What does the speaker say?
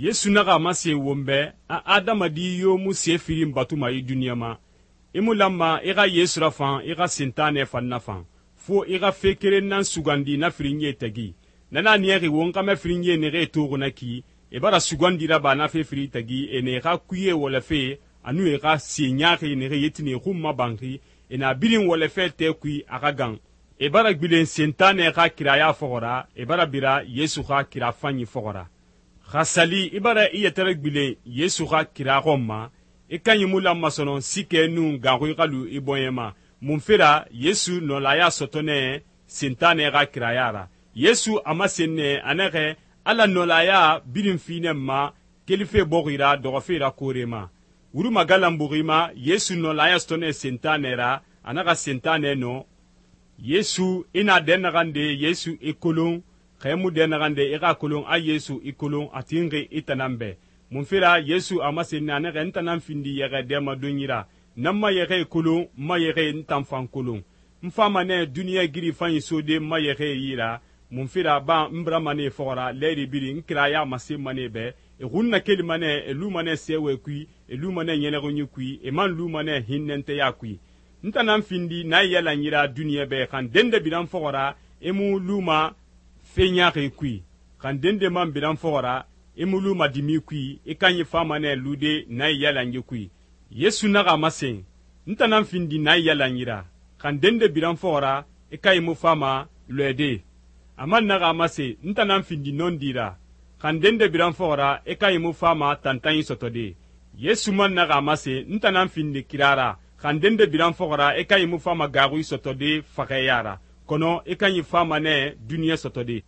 Yesu naxa a masen won bɛ a adamadi yo mu se firin batuma i duniɲa ma. I mu lanma i xa Yesu rafan i xa Sentanɛ fan nafan, fo i xa fe keren nan sugandi na firinyie tagi. Na na niyaxi won xɛmɛ firinyie naxee toxi na ki, e bara sugandi raba na fe firi tagi, e na e xa kuye wɔlɛfe anu e xa se ɲaaxi naxe yetini xun mabanxi, e na birin wɔlɛfe tɛ kui a xa gan. E bara gbilen Sentanɛ xa kiraya fɔxɔ ra, e bara bira Yesu xa kira fanyi fɔxɔ ra. Xa sali i bara i yɛtɛrɛ gbilen Yesu xa kira xɔn ma, i kanyi mu lanma sɔnɔn sikɛ nun ganxui xa lu i bɔɲɛ ma. Munfe ra Yesu nɔlaya sɔtɔ nɛ Sentanɛ xa kiraya ra. Yesu a masen nɛ a naxɛ Ala nɔlaya birin fi nɛ ma kelife bɔxi ra dɔxɔfe ra koore ma. Wuru magalanbuxi ma Yesu nɔlaya sɔtɔ nɛ Sentanɛ ra, a naxa Sentanɛ nɔ. Yesu i na dɛnnaxan de Yesu i kolon, xɛ mu dɛnnaxan de i xa kolon a Yesu i kolon a tinxi i tanan bɛ. Munfe ra Yesu a masen nɛ a naxɛ n tanan findi yɛxɛ dɛmadonyi ra, nan ma yɛxɛ kolon, n ma yɛxɛ n tan fan kolon. N fama nɛ duniɲa giri fanyi sode n ma yɛxɛ yi ra, munfe ra ban n birama nɛ fɔxɔ ra lɛyiri birin n kiraya masenma nɛ bɛ, e xun nakelima nɛ e luma nɛ sɛwɛ kui, e luma nɛ ɲɛnɛxunyi kui, e man luma nɛ hinnɛntɛya kui. N tanan findi na yalan yira duniɲa bɛ xan dende biran fɔxɔ ra e mu luma fe ɲaaxi kui, xan dende man biran fɔxɔ ra e mu luma dimi kui, i kanyi fama nɛ lude na yalan yi kui. Yesu naxa masen, n tanan findi na yalan yira, xan dende biran fɔxɔ ra i kanyi mu fama lɔɛde. A man naxa masen, n tanan findi nɔndi ra, xan dende biran fɔxɔ ra i kanyi mu fama tantanyi sɔtɔde. Yesu man naxa masen, n tanan findi kira ra, xan dende biran fɔxɔ ra i kanyi mu fama gaaxui sɔtɔde faxɛya ra, kɔnɔ i kanyi fama nɛ duniɲa sɔtɔde.